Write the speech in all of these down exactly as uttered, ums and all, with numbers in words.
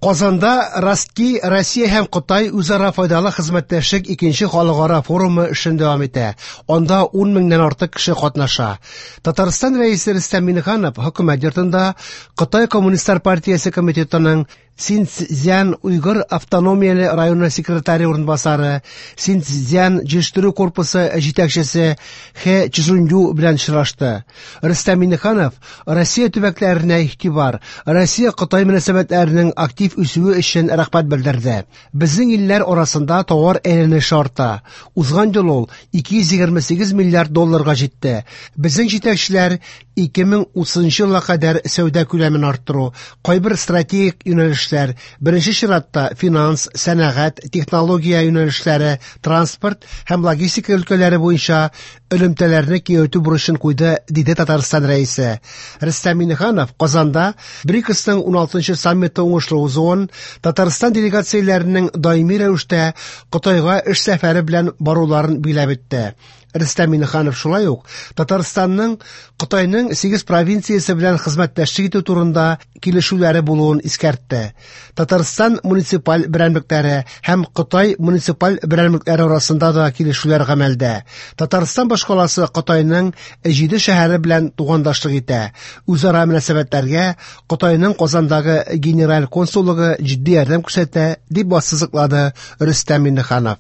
Казанда Ростки, Россия һәм Кытай үзара файдалы хезмәттәшлек икенче халыкара форумы эшен дәвам итә. Анда ун меңнән артык кеше катнаша. Татарстан Рәисе Рөстәм Миңнеханов хөкүмәт йортында Кытай Коммунистлар партиясе комитетының Синьцзян Уйгыр автономияле районы секретаре урынбасары, Синьцзян җитештерү корпусы җитәкчесе Хэ Чжунью белән очрашты. Рөстәм Миңнеханов Россия төбәкләренә игътибар, Россия-Кытай мөнәсәбәтләренең актив үсүе өчен рәхмәт белдерде. Безнең илләр арасында товар әйләнеше арта. Узган ел ул ике йөз егерме сигез миллиард долларга җитте. Безнең җитәкчеләр ике мең утызынчы елга кадәр сәүдә күләмен арттыру, кайбер стратегик юнәлешләр, беренче чиратта финанс, сәнәгать, технология юнәлешләре, транспорт һәм логистика өлкәләре буенча элемтәләрне киңәйтү бурычын куйды, диде Татарстан Рәисе. Рөстәм Миңнеханов Казанда БРИКСның уналтынчы саммиты уңышлы узуын, Татарстан делегацияләренең даими рәвештә Кытайга эш сәфәре белән баруларын биләп үтте. Рөстәм Миңнеханов шулай ук Татарстанның Кытайның сигез провинциясе белән хезмәттәшлек итү турында килешүләре булуын искәртте. Татарстан муниципаль берәмлекләре һәм Кытай муниципаль берәмлекләре арасында да килешүләр гамәлдә. Татарстан башкаласы Кытайның җиде шәһәре белән тугандашлык итә. Үзара мөнәсәбәтләргә Кытайның Казандагы генераль консуллыгы җитди ярдәм күрсәтә, дип ассызыклады Рөстәм Миңнеханов.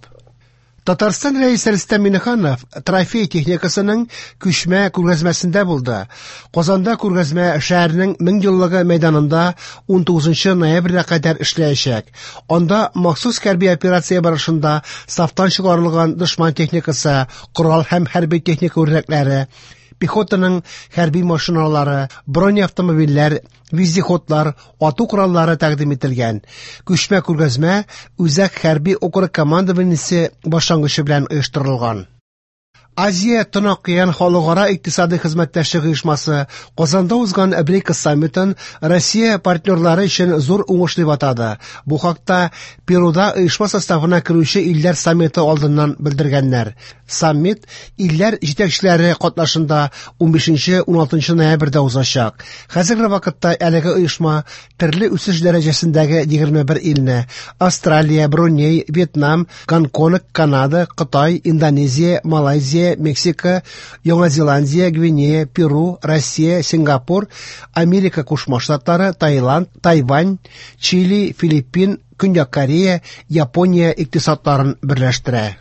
Татарстан Рәисе Рөстәм Миңнеханов трофей техникасының күчмә күргәзмәсендә булды. Казанда күргәзмә шәһәрнең мең еллыгы мәйданында ун тугызынчы ноябрьгә кадәр эшләячәк. Анда махсус хәрби операция барышында сафтан чыгарылган дошман техникасы, корал һәм хәрби техника үрнәкләре, пехотаның хәрби машиналары, бронеавтомобильләр, вездеходлар, ату кораллары тәкъдим ителгән. Күчмә күргәзмә Үзәк хәрби округ командованиесе башлангычы белән оештырылган. Азия Тын океан халыкара икътисади хезмәттәшлек оешмасы Казанда узган БРИКС саммитын Россия партнерлары өчен зур уңыш дип атады. Бу хакта Перуда оешма составына керүче илләр саммиты алдыннан белдергәннәр. Саммит илләр җитәкчеләре катнашында унбишенче уналтынчы ноябрьдә узачак. Хәзерге вакытта әлеге оешма төрле үсеш дәрәҗәсендәге егерме бер илне Австралия, Бруней, Вьетнам, Гонконг, Канада, Кытай, Индонезия, Малайзия, Мексика, Яңа Зеландия, Гвинея, Перу, Россия, Сингапур, Америка Кушма Штатлары, Таиланд, Тайвань, Чили, Филиппин, Көньяк Корея, Япония икътисадларын берләштерә.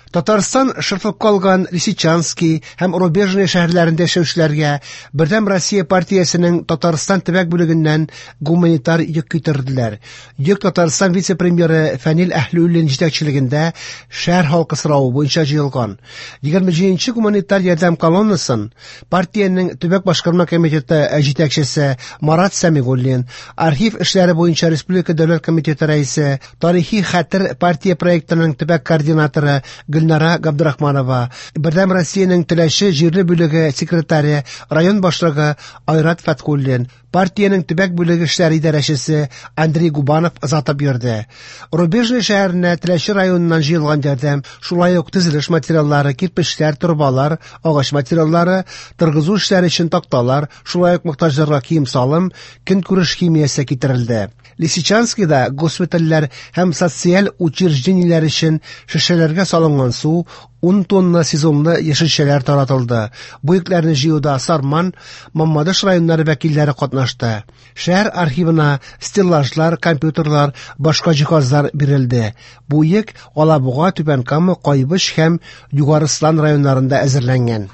Татарстан шыртлып калган Лисичанский һәм Рубежный шәһәрләрендә яшәүчеләргә Бердәм Россия партиясенең Татарстан төбәк бүлегеннән гуманитар йөк китерделәр. Йөк Татарстан вице-премьеры Фәнил Әһлиуллин җитәкчелегендә шәһәр халкы соравы буенча җыелган. Егерме җиденче гуманитар ярдәм колоннасын партиянең төбәк башкарма комитеты җитәкчесе Марат Сәмигуллин, архив эшләре буенча Республика дәүләт комитеты рәисе, тарихи хәтер партия проектының төбәк координаторы Гөлнара Габдрахманова, Бердәм Россиянең Теләче җирле бүлеге секретаре, район башлыгы Айрат Фәтхуллин, партиянең төбәк бүлеге эшләре идарәчесе Андрей Губанов озатып йөрде. Рубежный шәһәренә Теләче районыннан җыелган ярдәм, шулай ук төзелеш материаллары, кирпечләр, торбалар, агач материаллары, торгызу эшләре өчен такталар, шулай ук мохтаҗларга кием-салым, көнкүреш химиясе китерелде. Лисичанскийда госпитальләр һәм социаль учреждениеләр өчен шешәләргә салынган су, ун тонна сезонлы яшелчәләр таратылды. Бу йөкләрне җыюда Сарман, Мамадыш районнары вәкилләре катнашты. Шәһәр архивына стеллажлар, компьютерлар, башка җиһазлар бирелде. Бу йөк Алабуга, Түбән Кама, Кайбыч һәм Югары Ослан районнарында әзерләнгән.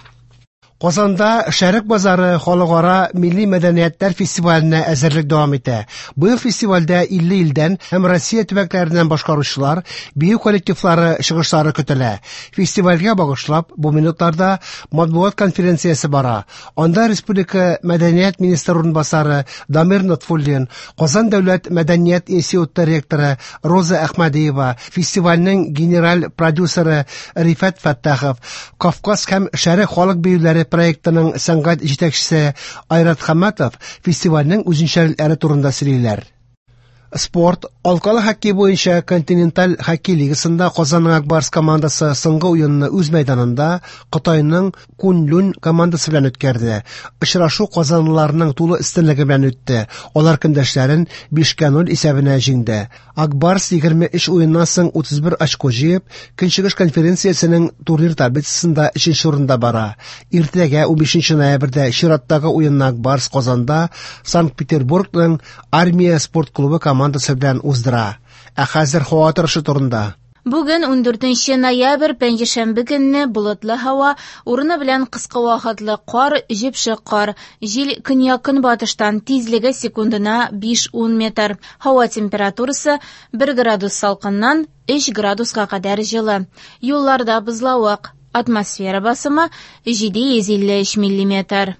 Казанда Шәрык базары халыкара милли мәдәниятләр фестиваленә әзерлек дәвам итә. Быел фестивальдә илле илдән һәм Россия төбәкләреннән башкаручылар, бию коллективлары чыгышлары көтелә. Фестивальгә багышлап бу минутларда матбугат конференциясе бара. Анда Республика мәдәният министры урынбасары Дамир Нотфуллин, Казан дәүләт мәдәният институты ректоры Роза Әхмәдиева, фестивальнең генераль продюсеры Рифат Фәттахов, Кавказ һәм Шәрык халык биюләре проектының сәнгать җитәкчесе Айрат Хаматов фестивальнең үзенчәлекләре турында сөйлиләр. Спорт. Алкалы хоккей буенча Континенталь хоккей лигасында Казанның Ак Барс командасы соңгы уенны үз мәйданында Кытайның Куньлунь командасы белән үткәрде. Очрашу казанлыларның тулы өстенлеге белән үтте. Алар көндәшләрен бишкә ноль исәбенә җиңде. Ак Барс егерме өч уеннан соң утыз бер очко җыеп, Көнчыгыш конференциясенең турнир таблицасында өченче урында бара. Иртәгә унбишенче ноябрьдә чираттагы уенны Ак Барс Казанда Санкт-Петербургның Армия спорт клубы командасы белән уздыра. Ә хәзер һава торышы турында. Бүген ундүртенче ноябрь, пәнҗешәмбе көнне болытлы һава, урыны белән кыска вакытлы кар, җепшек кар, җил көньяк-көнбатыштан, тизлеге секундына биш-ун метр. Һава температурасы бер градус салкыннан өч градуска кадәр җылы. Юлларда бозлавык. Атмосфера басымы җиде йөз илле өч миллиметр.